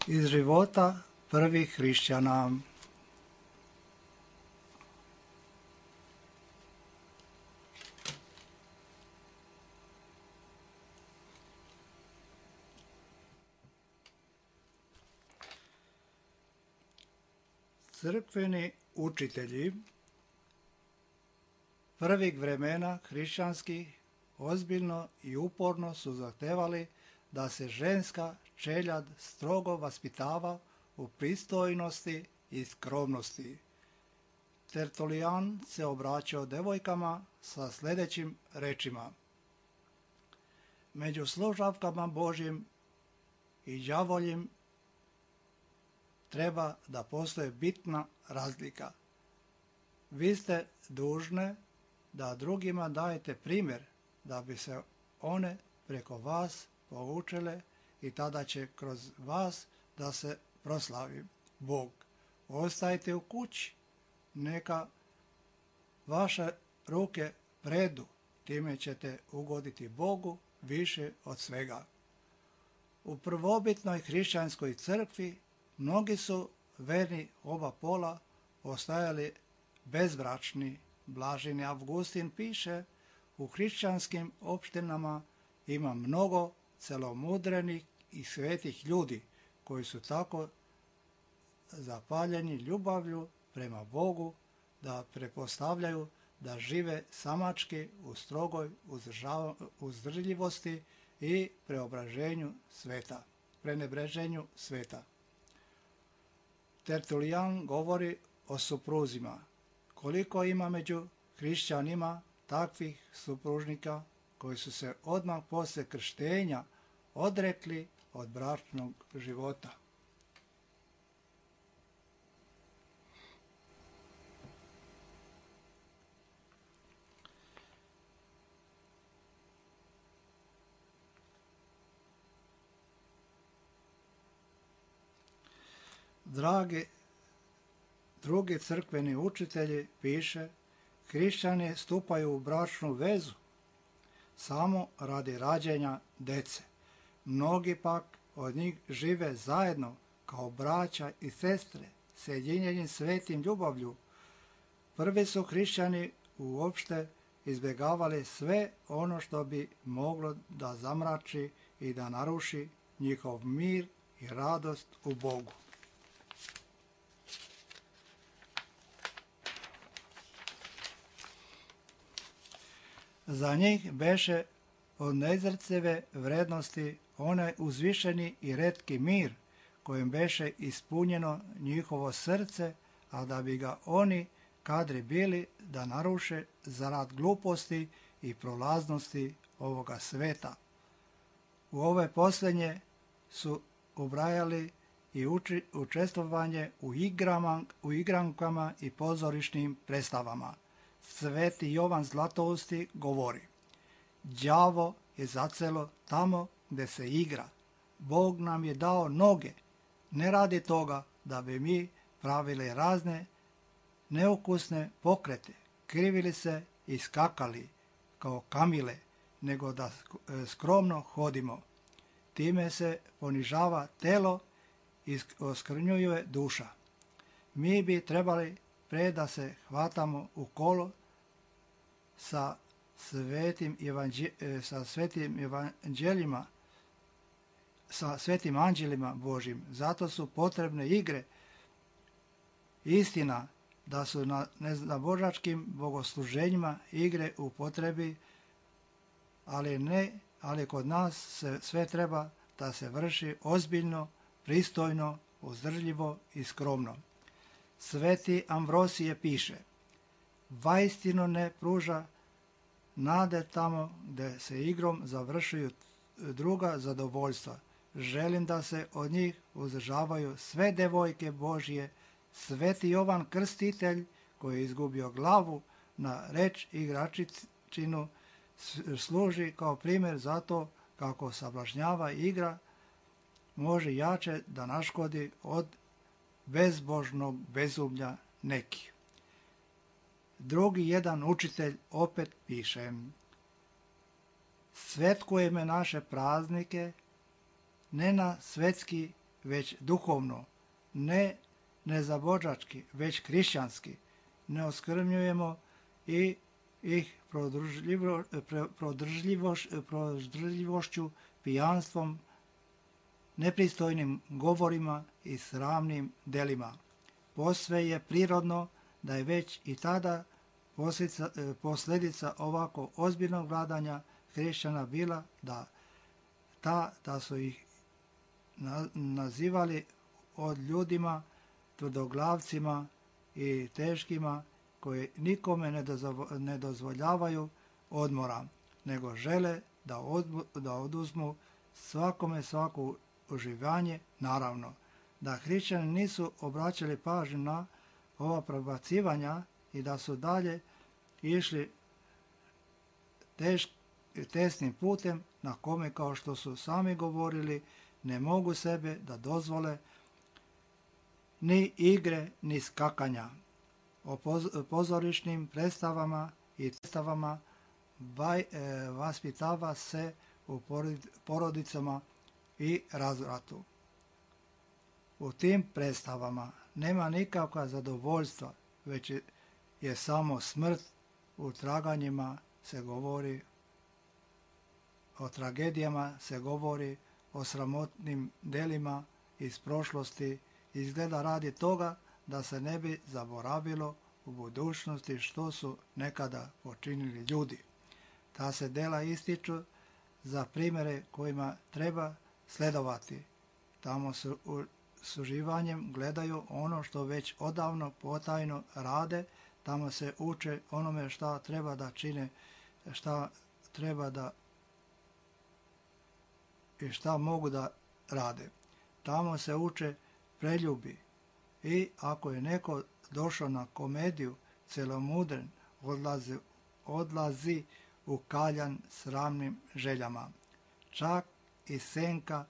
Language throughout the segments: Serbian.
Iz života prvih hrišćana. Crkveni učitelji prvih vremena hrišćanskih ozbiljno i uporno su zahtevali da se ženska čeljad strogo vaspitava u pristojnosti i skromnosti. Tertulijan se obraćao devojkama sa sljedećim rečima: među slušavkama Božjim i đavoljim treba da postoje bitna razlika. Vi ste dužne da drugima dajete primjer da bi se one preko vas poučile i tada će kroz vas da se proslavi Bog. Ostajte u kući, neka vaše ruke predu, time ćete ugoditi Bogu više od svega. U prvobitnoj hrišćanskoj crkvi mnogi su verni oba pola ostajali bezbračni. Blaženi Avgustin piše: u hrišćanskim opštinama ima mnogo celomudrenih i svetih ljudi koji su tako zapaljeni ljubavlju prema Bogu da pretpostavljaju da žive samački u strogoj uzdržljivosti i prenebreženju sveta. Tertulijan govori o supruzima. Koliko ima među hrišćanima takvih supružnika koji su se odmah poslije krštenja odrekli od bračnog života. Drugi crkveni učitelji piše: hrišćani stupaju u bračnu vezu samo radi rađenja dece. Mnogi pak od njih žive zajedno kao braća i sestre, sjedinjeni svetim ljubavlju. Prvi su hrišćani uopšte izbjegavali sve ono što bi moglo da zamrači i da naruši njihov mir i radost u Bogu. Za njih beše od neizrecive vrednosti onaj uzvišeni i retki mir kojim beše ispunjeno njihovo srce, a da bi ga oni kadri bili da naruše zarad gluposti i prolaznosti ovoga sveta. U ove posljednje su ubrajali i učestvovanje u igrankama i pozorišnim predstavama. Sveti Jovan Zlatousti govori: đavo je zacelo tamo gde se igra. Bog nam je dao noge, ne radi toga da bi mi pravili razne neukusne pokrete, krivili se i skakali kao kamile, nego da skromno hodimo. Time se ponižava telo i oskrnjuje duša. Mi bi trebali pre da se hvatamo u kolo sa svetim anđelima Božjim. Zato su potrebne igre. Istina da su na božačkim bogosluženjima igre u potrebi, ali kod nas sve treba da se vrši ozbiljno, pristojno, uzdržljivo i skromno. Sveti Ambrosije piše: vaistinu ne pruža nade tamo gde se igrom završuju druga zadovoljstva. Želim da se od njih uzdržavaju sve devojke Božje. Sveti Jovan Krstitelj, koji je izgubio glavu na reč igračičinu, služi kao primjer zato kako sablažnjava igra može jače da naškodi od bezbožnog bezumlja nekih. Drugi jedan učitelj opet piše: svetkujeme naše praznike ne na svetski već duhovno, ne nezabođački, već hrišćanski. Ne oskvrnjujemo i ih prodržljivošću, pijanstvom, nepristojnim govorima i sramnim delima. Posve je prirodno da je već i tada posljedica ovako ozbiljnog vladanja hrišćana bila da su ih nazivali od ljudima tvrdoglavcima i teškima koji nikome ne dozvoljavaju odmora, nego žele da oduzmu svakome svako uživanje. Naravno da hrišćani nisu obraćali pažnju na ova prebacivanja i da su dalje išli tesnim putem na kome, kao što su sami govorili, ne mogu sebe da dozvole ni igre ni skakanja. O pozorišnim predstavama i predstavama vaspitava se u porodicama i razvratu. U tim predstavama nema nikakva zadovoljstva, već je samo smrt. U traganjima se govori, o tragedijama se govori, o sramotnim delima iz prošlosti, izgleda radi toga da se ne bi zaboravilo u budućnosti što su nekada počinili ljudi. Ta se dela ističu za primjere kojima treba sledovati. Tamo s uživanjem gledaju ono što već odavno potajno rade, tamo se uče onome šta treba da čine, šta treba da i šta mogu da rade. Tamo se uče preljubi i ako je neko došao na komediju celomudren, odlazi u kaljan sramnim željama. Čak i Seneka,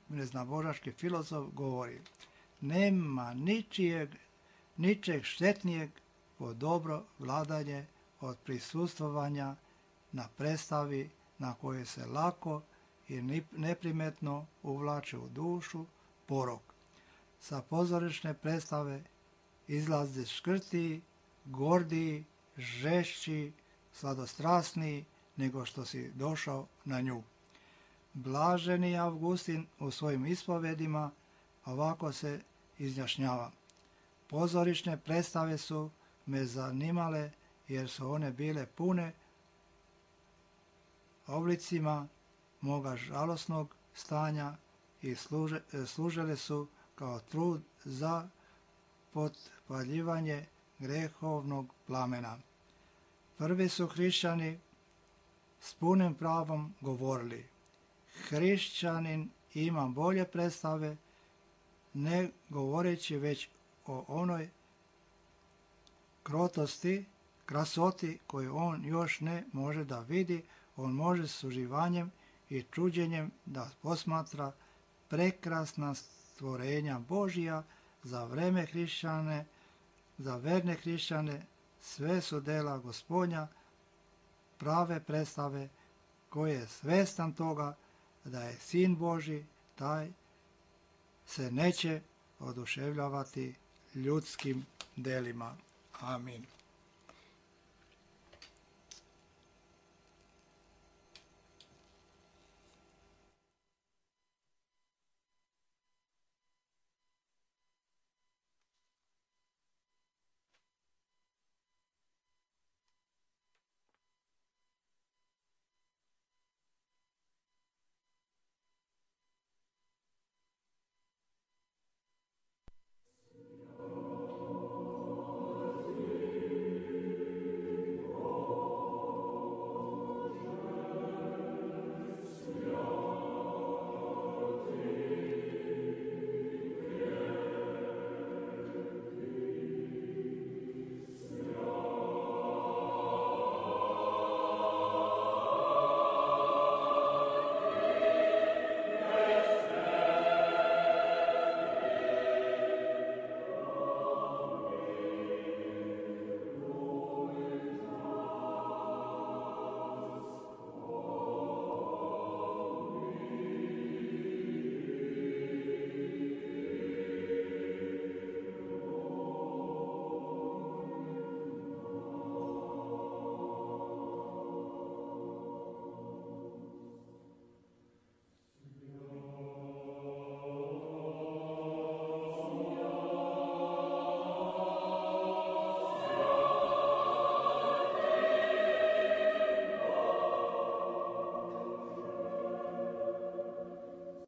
neznabožački filozof govori: nema ničeg štetnijeg po dobro vladanje od prisustvovanja na predstavi na koje se lako i neprimetno uvlače u dušu porok. Sa pozorišne predstave izlaze škrtiji, gordiji, žešći, sladostrasniji nego što si došao na nju. Blaženi Avgustin u svojim ispovedima ovako se izjašnjava: pozorišne predstave su me zanimale jer su one bile pune oblicima moga žalosnog stanja i služile su kao trud za potpaljivanje grehovnog plamena. Prvi su hrišćani s punim pravom govorili: hrišćanin ima bolje predstave, ne govoreći već o onoj krotosti, krasoti koju on još ne može da vidi. On može s uživanjem i čuđenjem da posmatra prekrasna stvorenja Božija. Za verne hrišćane sve su dela Gospodnja, prave predstave, koje je svestan toga da je Sin Božji, taj se neće oduševljavati ljudskim delima. Amin.